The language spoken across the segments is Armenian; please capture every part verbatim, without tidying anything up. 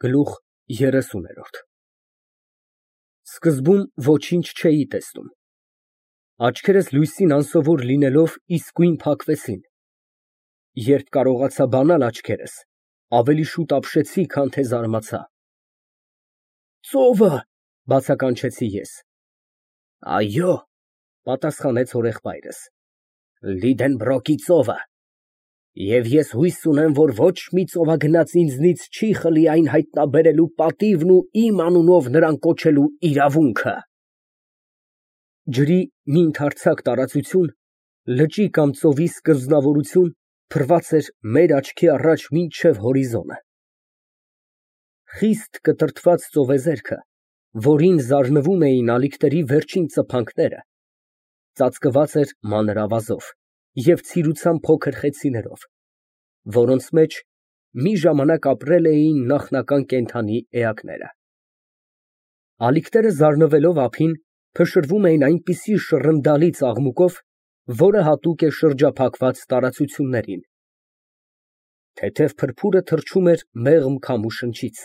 Գլուխ երեսուն։ Սկզբում ոչինչ չէի տեսնում, աչքերս լույսին անսովոր լինելով իսկույն փակվեցին, երբ կարողացա բանալ աչքերս, ավելի շուտ ապշեցի, քան թե զարմացա։ «Ծովը», բացականչեցի ես։ «Այո», պատասխանեց հորեղբայրս, «Լիդենբրոկի ծովը, և ես հույս ունեմ, որ ոչ մի ծովագնաց ինձնից չի խլի այն հայտնաբերելու պատիվն ու իմ անունով նրան կոչելու իրավունքը»։ Ջրի մի ընդարձակ տարածություն, լճի կամ ծովի սկզբնավորություն փռված էր մեր աչքի առաջ մինչև հորիզոնը։ Խիստ կտրտված ծովեզերքը, որին զարնվում էին ալիքների վերջին ծփանքները, ծածկված էր մանր ավազով և ցիրուցան փոքր խեցիներով, որոնց մեջ մի ժամանակ ապրել էին նախնական կենդանի էակները։ Ալիքները զարնվելով ափին, փշրվում էին այնպիսի շռնդալի աղմուկով, որը հատուկ է շրջափակված տարածություններին։ Թեթև փրփուրը թռչում էր մեղմ քամու շնչից,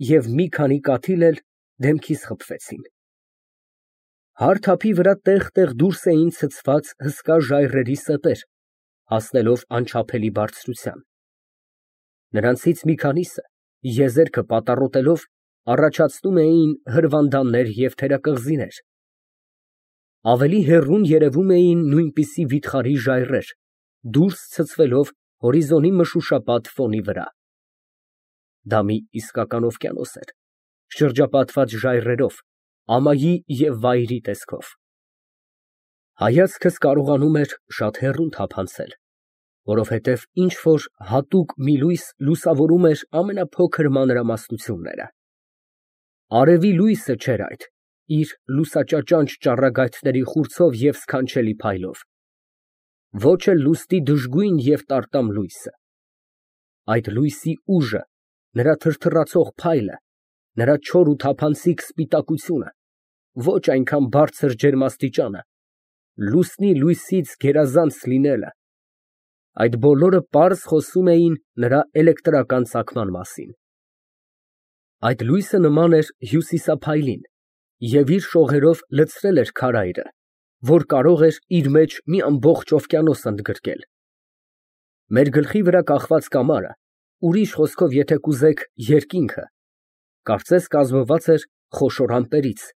և մի քանի կաթիլ էլ դեմքիս խփվեցին։ Հարթ ափի վրա տեղ֊տեղ դուրս էին ցցված հսկա ժայռերի սեպեր, հասնելով անչափելի բարձրության։ Նրանցից մի քանիսը, եզերքը պատառոտելով, առաջացնում էին հրվանդաններ և թերակղզիներ, ավելի հեռուն երևում էին նույնպիսի վիթխարի ժայռեր, դուրս ցցվելով հորիզոնի մշուշապատ ֆոնի վրա։ Դա մի իսկական օվկիանոս էր, շրջապատված ժայռերով, ամայի և վայրի տեսքով։ Հայացքս կարողանում էր շատ հեռուն թափանցել, որովհետև ինչ֊որ հատուկ մի լույս լուսավորում էր ամենափոքր մանրամասնությունները։ Արևի լույսը չէր այդ, իր լուսաճաճանճ ճառագայթների խուրձով և սքանչելի փայլով, ոչ էլ լուսնի դժգույն և տարտամ լույսը։ Այդ լույսի ուժը, նրա թրթռացող փայլը, նրա չոր ու թափանցիկ սպիտակությունը, ոչ այնքան բարձր ջերմաստիճանը, լուսնի լույսից գերազանց լինելը, այդ բոլորը պարզ խոսում էին նրա էլեկտրական ծագման մասին։ Այդ լույսը նման էր հյուսիսափայլին և իր շողերով լցրել էր քարայրը, որ կարող էր իր մեջ մի ամբողջ օվկիանոս ընդգրկել։ Մեր գլխի վրա կախված կամարը, ուրիշ խոսքով եթե կուզեք, երկինքը, կարծես կազմված էր խոշոր ամպերից,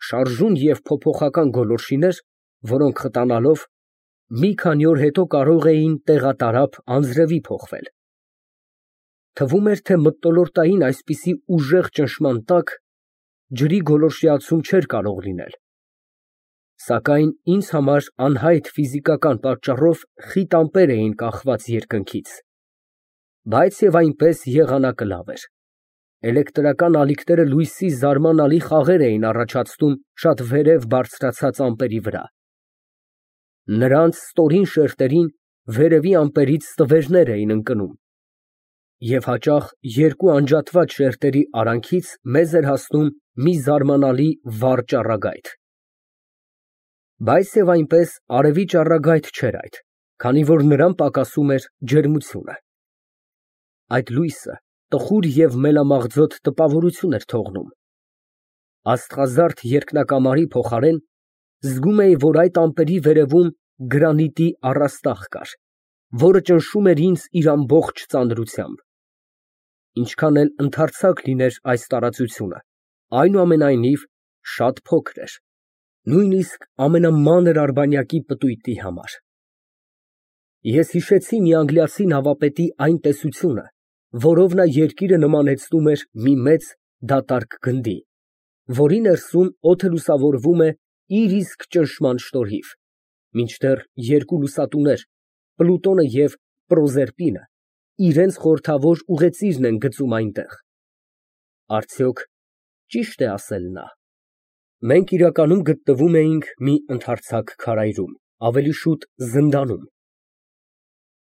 շարժուն և փոփոխական գոլորշիներ, որոնք խտանալով, մի քանի օր հետո կարող էին տեղատարափ անձրևի փոխվել։ Թվում էր, թե մթնոլորտային այսպիսի ուժեղ ճնշման տակ ջրի գոլորշիացում չէր կարող լինել, սակայն ինձ համար անհայտ ֆիզիկական պատճառով խիտ ամպեր էին կախված երկնքից, բայց և այնպես եղանակը լավ էր։ Էլեկտրական ալիքները լույսի զարմանալի խաղեր էին առաջացնում շատ վերև բարձրացած ամպերի վրա։ Նրանց ստորին շերտերին վերևի ամպերից ստվերներ էին ընկնում, և հաճախ երկու անջատված շերտերի արանքից մեզ էր հասնում մի զարմանալի վառ ճառագայթ։ Բայց և այնպես արևի ճառագայթ չէր այդ, քանի որ նրան պակասում էր ջերմությունը։ Այդ լույսը տխուր և մելամաղձոտ տպավորություն էր թողնում։ Աստղազարդ երկնակամարի փոխարեն զգում էի, որ այդ ամպերի վերևում գրանիտի առաստաղ կար, որը ճնշում էր ինձ իր ամբողջ ծանրությամբ։ Ինչքան էլ ընդարձակ լիներ այս տարածությունը, այնուամենայնիվ շատ փոքր էր, նույնիսկ ամենամանր արբանյակի պտույտի համար։ Ես հիշեցի մի անգլիացի նավապետի այն տեսությունը, որով նա երկիրը նմանեցնում էր մի մեծ դատարկ գնդի, որի ներսում օդը լուսավորվում է իր իսկ ճնշման շնորհիվ, մինչդեռ երկու լուսատուներ՝ Պլուտոնը և Պրոզերպինը, իրենց խորհրդավոր ուղեծիրն են գծում այնտեղ։ Արդյոք ճի՞շտ է ասել նա։ Մենք իրականում գտնվում էինք մի ընդարձակ քարայրում, ավելի շուտ զնդանում։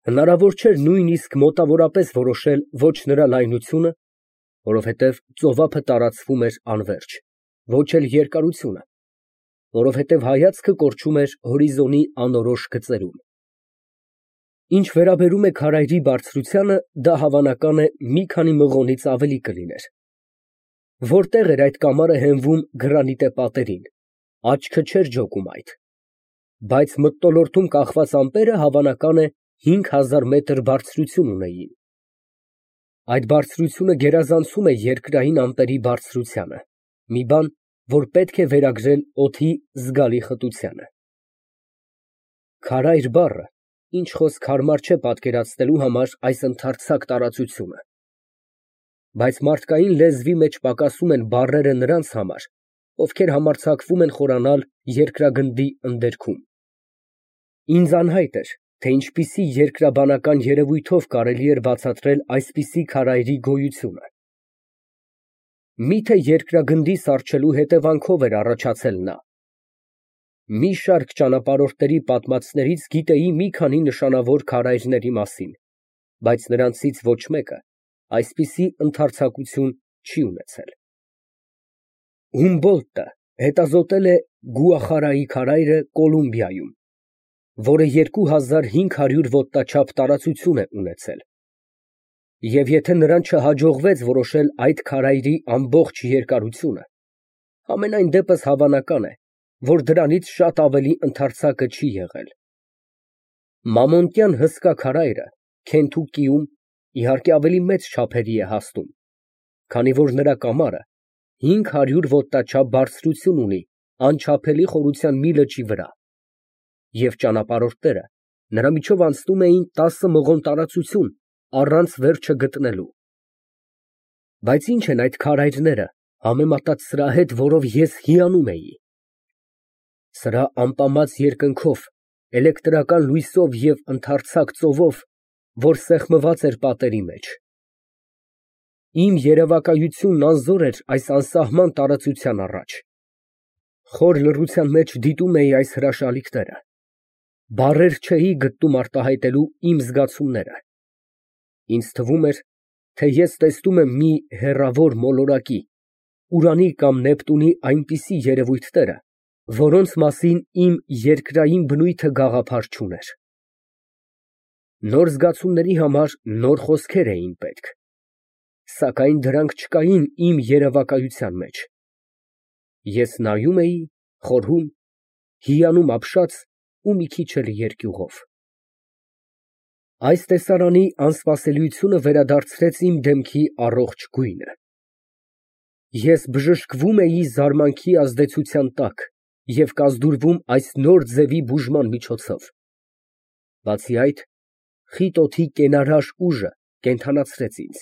Հնարավոր չէր նույնիսկ մոտավորապես որոշել ոչ նրա լայնությունը, որովհետև ծովափը տարածվում էր անվերջ, ոչ էլ երկարությունը, որովհետև հայացքը կորչում էր հորիզոնի անորոշ գծերում։ Ինչ վերաբերում է քարայրի բարձրությանը, դա հավանական է մի քանի մղոնից ավելի կլիներ։ Որտեղ էր այդ կամարը հենվում գրանիտե պատերին, աչքը չէր ջոկում այդ, բայց մթնոլորտում կախված ամպերը հավանական է հինգ հազար մետր բարձրություն ունեին։ Այդ բարձրությունը գերազանցում է երկրային ամպերի բարձրությանը, մի բան, որ պետք է վերագրել օդի զգալի խտությանը։ Քարայր բառը ինչ խոսք հարմար չէ պատկերացնելու համար այս ընդարձակ տարածությունը, բայց մարդկային լեզվի մեջ պակասում են բառերը նրանց համար, ովքեր համարձակվում են խորանալ երկրագնդի ընդերքում։ Ինձ անհայտ էր, թե ինչպիսի երկրաբանական երևույթով կարելի էր բացատրել այսպիսի քարայրի գոյությունը։ Միթե երկրագնդի սառչելու հետևանքով էր առաջացել նա։ Մի շարք ճանապարհորդների պատմածներից գիտեի մի քանի նշանավոր քարայրների մասին, բայց նրանցից ոչ մեկը այսպիսի ընդարձակություն չի ունեցել։ Հումբոլդտը հետազոտել է Գուախարայի քարայրը Կոլումբիայում, որը երկու հազար հինգ հարյուր ոտնաչափ տարածություն է ունեցել, և եթե նրան չհաջողվեց որոշել այդ քարայրի ամբողջ երկարությունը, համենայն դեպս հավանական է, որ դրանից շատ ավելի ընդարձակը չի եղել։ Մամոնտյան հսկա քարայրը Քենթուկիում իհարկե ավելի մեծ չափերի է հասնում, քանի որ նրա կամարը հինգ հարյուր ոտնաչափ բարձրություն ունի անչափելի խորության մի լճի վրա, և ճանապարհորդները նրա միջով անցնում էին տասը մղոն տարածություն առանց վերջը գտնելու։ Բայց ի՞նչ են այդ քարայրները համեմատած սրա հետ, որով ես հիանում էի։ Սրա ամպամած երկնքով, էլեկտրական լույսով և ընդարձակ ծովով, որ սեղմված էր պատերի մեջ։ Իմ երևակայությունն անզոր էր այս անսահման տարածության առաջ։ Խոր լռության մեջ դիտում էի այս հրաշալիքները, բառեր չէի գտնում արտահայտելու իմ զգացումները։ Ինձ թվում էր, թե ես տեսնում եմ մի հեռավոր մոլորակի, Ուրանի կամ Նեպտունի այնպիսի երևույթները, որոնց մասին իմ երկրային բնույթը գաղափար չուներ։ Նոր զգացումների համար նոր խոսքեր էին պետք, սակայն դրանք չկային իմ երևակայության մեջ։ Ես նայում էի, խորհում, հիանում ապշած ու մի քիչ էլ երկյուղով։ Այս տեսարանի անսպասելիությունը վերադարձրեց իմ դեմքի առողջ գույնը։ Ես բժշկվում էի զարմանքի ազդեցության տակ և կազդուրվում այս նոր ձևի բուժման միջոցով։ Բացի այդ, խիտ օդի կենարար ուժը կենդանացրեց ինձ,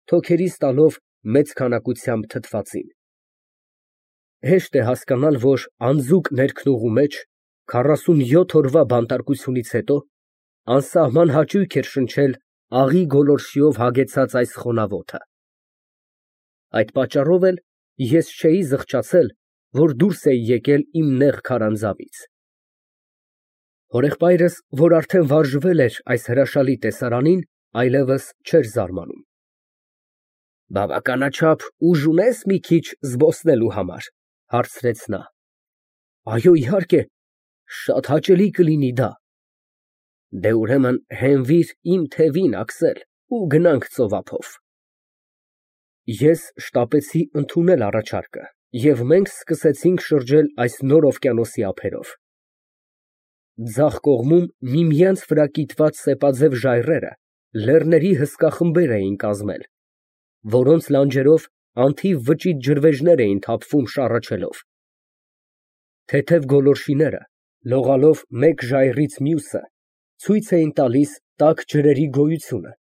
թոքերիս տալով մեծ քանակությամբ թթվածին։ Հեշտ է հասկանալ, որ անձուկ ներքնուղու մեջ, քառասունյոթ օրվա բանտարկությունից հետո, անսահման հաճույք էր շնչել աղի գոլորշիով հագեցած այս խոնավոթը։ Այդ պատճառով էլ ես չէի զղջացել, որ դուրս էի եկել իմ նեղ քարանձավից։ Հորեղբայրս, որ արդեն վարժվել էր այս հրաշալի տեսարանին, այլևս չէր զարմանում։ «Բավականաչափ ուժ ունե՞ս մի քիչ զբոսնելու համար», ֊ հարցրեց նա։ ֊ Այո, իհարկե, շատ հաճելի կլինի դա։ ֊ Դե, ուրեմն հենվիր իմ թևին, Աքսել, ու գնանք ծովափով։ Ես շտապեցի ընդունել առաջարկը, և մենք սկսեցինք շրջել այս նոր օվկիանոսի ափերով։ Ձախ կողմում միմյանց վրա կիտված սեպաձև ժայռերը լեռների հսկա խմբեր էին կազմել, որոնց լանջերով անթիվ վճիտ ջրվեժներ էին թափվում շառաչելով։ Թեթև գոլորշիները, լողալով մեկ ժայռից մյուսը, ցույց էին տալիս տաք ջրերի գոյությունը,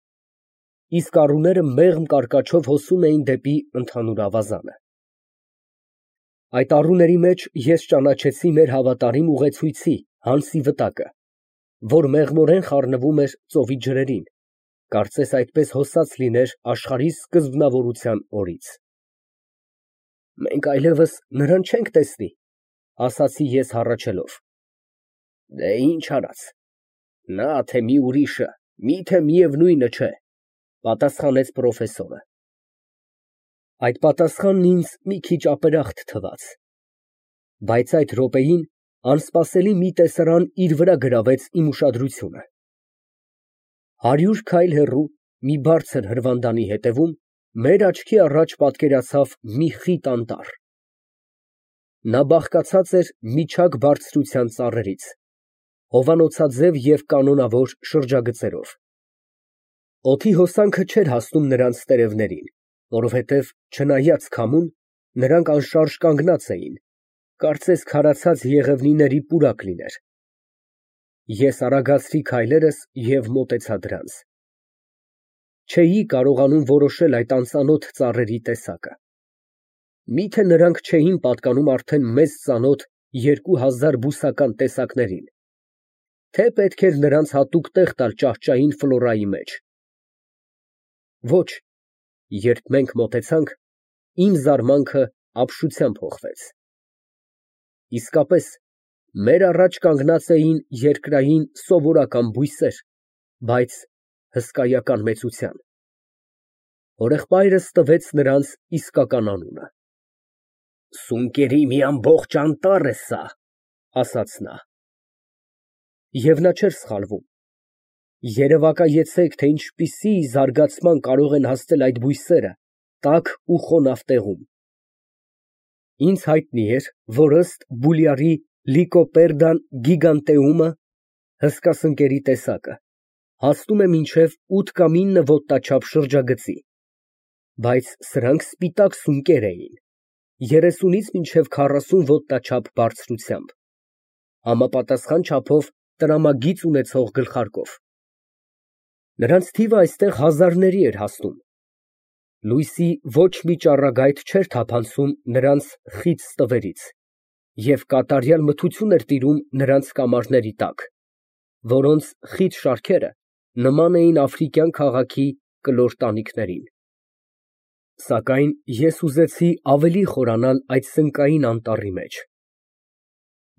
իսկ առուները մեղմ կարկաչով հոսում էին դեպի ընդհանուր ավազանը։ Այդ առուների մեջ ես ճանաչեցի մեր հավատարիմ ուղեցույցի Հանսի վտակը, որ մեղմորեն խառնվում էր ծովի ջրերին, կարծես այդպես հոսած լիներ աշխարհի սկզբնավորության օրից։ Մենք այլևս նրան չենք տեսնի, ասացի ես հառաչելով։ Դե ինչ արած, նա թե մի ուրիշը, միթե միևնույնը չէ, պատասխանեց պրոֆեսորը։ Այդ պատասխանն ինձ մի քիչ ապերախտ թվաց, բայց այդ րոպեին անսպասելի մի տեսարան իր վրա գրավեց իմ ուշադրությունը։ Հարյուր քայլ հեռու մի բարձր հրվանդանի հետևում մեր աչքի առաջ պատկերացավ մի խիտ անտառ։ Նա բաղկացած էր միջակ բարձրության ծառերից, հովանոցաձև և կանոնավոր շրջագծերով։ Օդի հոսանքը չէր հասնում նրանց տերևներին, որովհետև, չնայած քամուն, նրանք անշարժ կանգնած էին, կարծես քարացած եղևնիների պուրակ լիներ։ Ես արագացրի քայլերս և մոտեցա դրանց։ Չէի կարողանում որոշել այդ անծանոթ ծառերի տեսակը։ Մի՞թե նրանք չէին պատկանում արդեն մեզ ծանոթ երկու հազար բուսական տեսակներին, թե պետք էր նրանց հատուկ տեղ տալ ճահճային ֆլորայի մեջ։ Ոչ, երբ մենք մոտեցանք, իմ զարմանքը ապշությամբ հոխվեց։ Իսկապես, մեր առաջ կանգնած էին երկրային սովորական բույսեր, բայց հսկայական մեծության։ Հորեղբայրս տվեց նրանց իսկական անունը։ Սունկերի մի ամբողջ անտառ է սա, ասաց նա։ Եվ նա չէր սխալվում։ Երևակայեցեք, թե ինչպիսի զարգացման կարող են հասնել այդ բույսերը տաք ու խոնավ տեղում։ Ինձ հայտնի էր, որ ըստ Բուլյարի Լիկոպերդան գիգանտեումը հսկա սնկերի տեսակը հասնում է մինչև ութ կամ ինը ոտնաչափ շրջագծի, բայց սրանք սպիտակ սունկեր էին, երեսունից մինչև քառասուն ոտնաչափ բարձրությամբ, համապատասխան չափով տրամագիծ ունեցող գլխարկով։ Նրանց թիվը այստեղ հազարների էր հասնում։ Լույսի ոչ մի ճառագայթ չէր թափանցում նրանց խիտ ստվերից, և կատարյալ մթություն էր տիրում նրանց կամարների տակ, որոնց խիտ շարքերը նման էին աֆրիկյան քաղաքի կլոր տանիքներին։ Սակայն ես ուզեցի ավելի խորանալ այդ սնկային անտառի մեջ։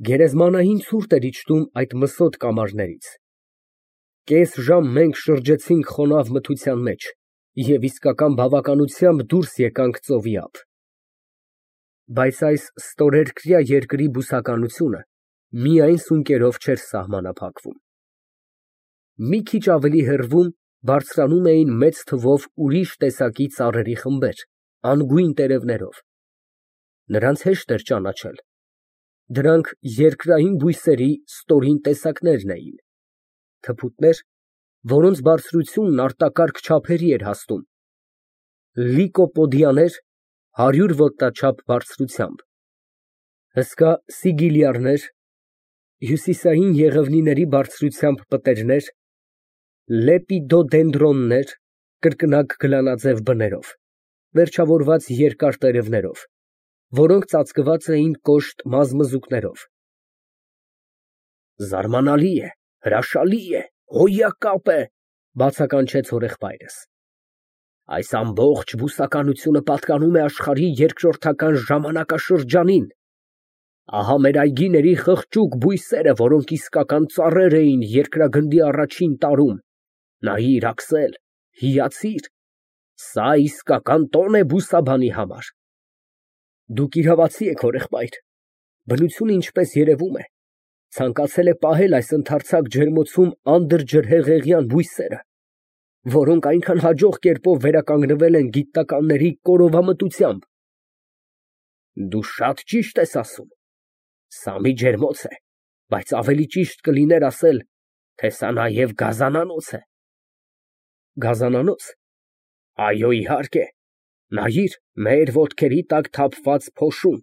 Գերեզմանային ցուրտ էր իջնում այդ մսոտ կամարներից։ Կես ժամ մենք շրջեցինք խոնավ մթության մեջ և իսկական բավականությամբ դուրս եկանք ծովի ափ։ Բայց այս ստորերկրյա երկրի բուսականությունը միայն սունկերով չէր սահմանափակվում։ Մի քիչ ավելի հեռվում բարձրանում էին մեծ թվով ուրիշ տեսակի ծառերի խմբեր, անգույն տերևներով։ Նրանց հեշտ էր ճանաչել։ Դրանք երկրային բույսերի ստորին տեսակներն էին, թփուտներ, որոնց բարձրությունն արտակարգ չափերի էր հասնում, լիկոպոդիաներ հարյուր ոտնաչափ բարձրությամբ, հսկա սիգիլյարներ, հյուսիսային եղևնիների բարձրությամբ պտերներ, լեպիդոդենդրոններ կրկնակ գլանաձև բներով, վերջավորված երկար տերևներով, որոնք ծածկված էին կոշտ մազմզուկներով։ Զարմանալի է, հրաշալի է, հոյակապ է, բացականչեց հորեղբայրս։ Այս ամբողջ բուսականությունը պատկանում է աշխարհի երկրորդական ժամանակաշրջանին։ Ահա մեր այգիների խղճուկ բույսերը, որոնք իսկական ծառեր էին երկրագնդի առաջին տարում, նայիր, Աքսել, հիացիր, սա իսկական տոն է բուսաբանի համար։ Դուք իրավացի եք, հորեղբայր, բնությունը, ինչպես երևում է, ցանկացել է պահել այս ընդարձակ ջերմոցում անդրջրհեղեղյան բույսերը, որոնք այնքան հաջող կերպով վերականգնվել են գիտնականների կորովամտությամբ։ Դու շատ ճիշտ ես ասում, սա մի ջերմոց է, բայց ավելի ճիշտ կլիներ ասել, թե սա նաև գազանանոց է։ Գազանանո՞ց։ Այո, իհարկե, նայիր, մեր ոտքերի տակ թափված փոշուն,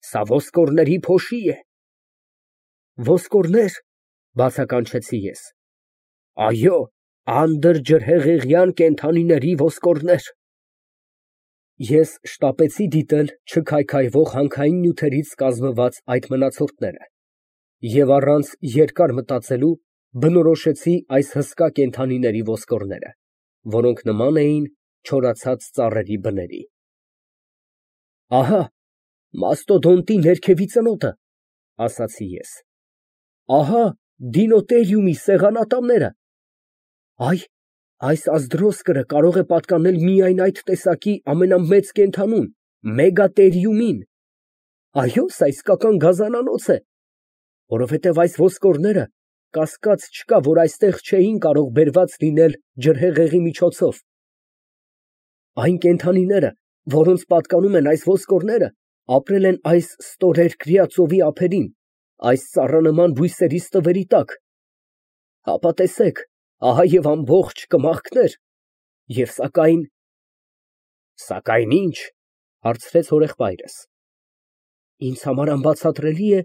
սա ոսկորների փոշի է։ Ոսկորնե՞ր, բացականչեցի ես։ Այո, անդրջրհեղեղյան կենդանիների ոսկորներ։ Ես շտապեցի դիտել չքայքայվող հանքային նյութերից կազմված այդ մնացորդները և առանց երկար մտածելու բնորոշեցի այս հսկա կենդանիների ոսկորները, որոնք նման էին չորացած ծառերի բների։ Ահա, մաստոդոնտի ներքևի ծնոտը, ասացի ես։ Ահա, դինոտերիումի սեղանատամները։ Այ, այս ազդրոսկրը կարող է պատկանել միայն այդ տեսակի ամենամեծ կենդանուն, մեգատերիումին։ Այո, սա իսկական գազանանոց է, որովհետև այս ոսկորները կասկած չկա, որ այստեղ չէին կարող բերված լինել ջրհեղեղի միջոցով։ Այն կենդանիները, որոնց պատկանում են այս ոսկորները, ապրել են այս ստորերկրյա ծովի ափերին, այս ծառանման բույսերի ստվերի տակ։ Հապա տեսեք, ահա և ամբողջ կմախքներ, և սակայն… ֊ Սակայն ի՞նչ, ֊ հարցրեց հորեղբայրս։ ֊ Ինձ համար անբացատրելի է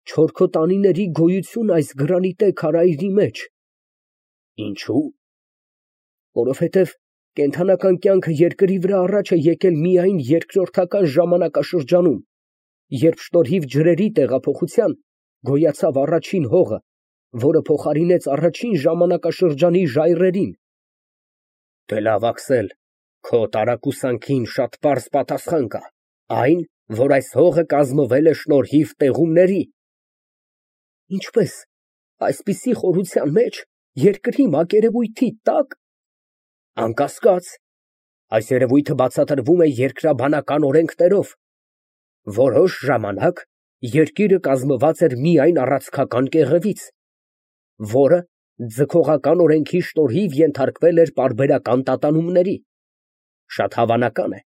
չորքոտանիների գոյությունը այս գրանիտե քարայրի մեջ։ ֊ Ինչո՞ւ։ ֊ Որովհետև կենդանական կյանքը երկրի վրա առաջ է եկել միայն երկրորդական ժամանակաշրջանում, երբ շնորհիվ ջրերի տեղափոխության գոյացավ առաջին հողը, որը փոխարինեց առաջին ժամանակաշրջանի ժայռերին։ ֊ Դե լավ, աքսել, քո տարակուսանքին շատ պարզ պատասխան կա, այն, որ այս հողը կազմվել է շնորհիվ տեղումների։ ֊ Ինչպե՞ս, այսպիսի խորության մեջ, երկրի մակերևույթի տա՞կ։ ֊ Անկասկած, այս երևույթը բացատրվում է երկրաբանական օրենքներով։ Որոշ ժամանակ երկիրը կազմված էր միայն առանցքական կեղևից, որը ձգողական օրենքի շնորհիվ ենթարկվել էր պարբերական տատանումների։ Շատ հավանական է,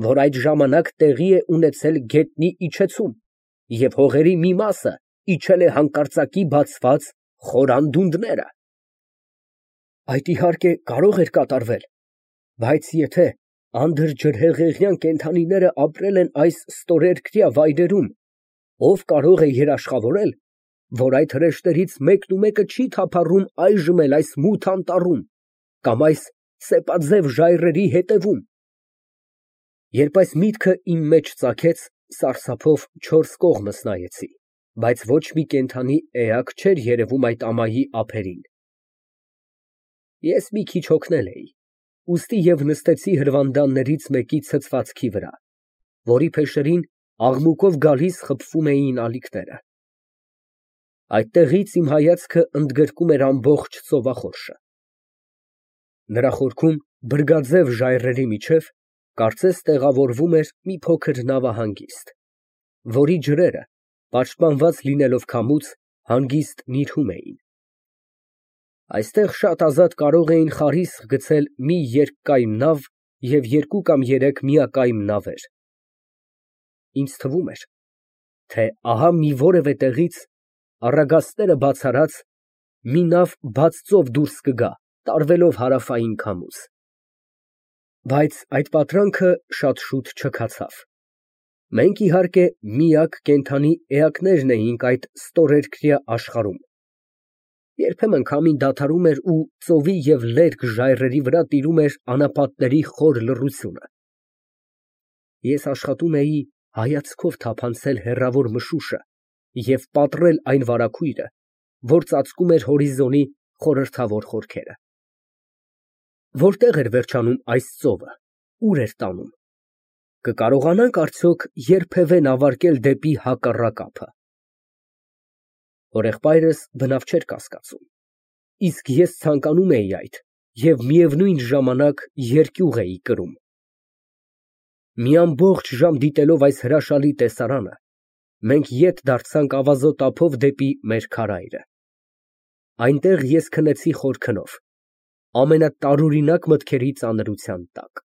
որ այդ ժամանակ տեղի է ունեցել գետնի իջեցում, և հողերի մի մասը իջել է հանկարծակի բացված խոր անդունդները։ Այդ, իհարկե, կարող էր կատարվել, բայց եթե անդրաջրհեղեղյան կենդանիները ապրել են այս ստորերկրյա վայրերում, ով կարող է երաշխավորել, որ այդ հրեշտներից մեկնումեկը չի թափառում այժմ էլ այս մութ անտառում կամ այս սեպաձև ժայռերի հետևում։ Երբ այս միտքը իմ մեջ ծագեց, սարսափով չորս կողմս նայեցի, բայց ոչ մի կենդանի էակ չէր երևում այդ ամայի ափերին։ Ես մի քիչ հոգնել էի, ուստի և նստեցի հրվանդաններից մեկի ցցվածքի վրա, որի փեշերին աղմուկով գալիս խփվում էին ալիքները։ Այդտեղից իմ հայացքը ընդգրկում էր ամբողջ ծովախորշը։ Նրա խորքում բրգաձև ժայռերի միջև կարծես տեղավորվում էր մի փոքր նավահանգիստ, որի ջրերը, պաշտպանված լինելով քամուց, հանգիստ նիրհում էին։ Այստեղ շատ ազատ կարող էին խարիսկ գցել մի երկկայմ նավ և երկու կամ երեք միակայմ նավեր։ Ինձ թվում էր, թե ահա մի որևէ տեղից, առագաստները բաց արած, մի նավ բաց ծով դուրս կգա, տարվելով հարավային քամուց։ Բայց այդ պատրանքը շատ շուտ չքացավ։ Մենք, իհարկե, միակ կենդանի էակներն էինք այդ ստորերկրյա աշխարհում։ Երբեմն քամին դադարում էր ու ծովի և լերկ ժայռերի վրա տիրում էր անապատների խոր լռությունը։ Ես աշխատում էի հայացքով թափանցել հեռավոր մշուշը և պատռել այն վարագույրը, որ ծածկում էր հորիզոնի խորհրդավոր խորքերը։ Որտե՞ղ էր վերջանում այս ծովը, ուր էր տանում։ Կկարողանա՞նք արդյոք երբևէ նավարկել դեպի հակառակ ափը։ Հորեղբայրս բնավ չէր կասկածում, իսկ ես ցանկանում էի այդ և միևնույն ժամանակ երկյուղ էի կրում։ Մի ամբողջ ժամ դիտելով այս հրաշալի տեսարանը, մենք ետ դարձանք ավազոտ ափով դեպի մեր քարայրը։ Այնտեղ ես քնեցի խոր քնով, ամենատարօրինակ մտքերի ծանրության տակ։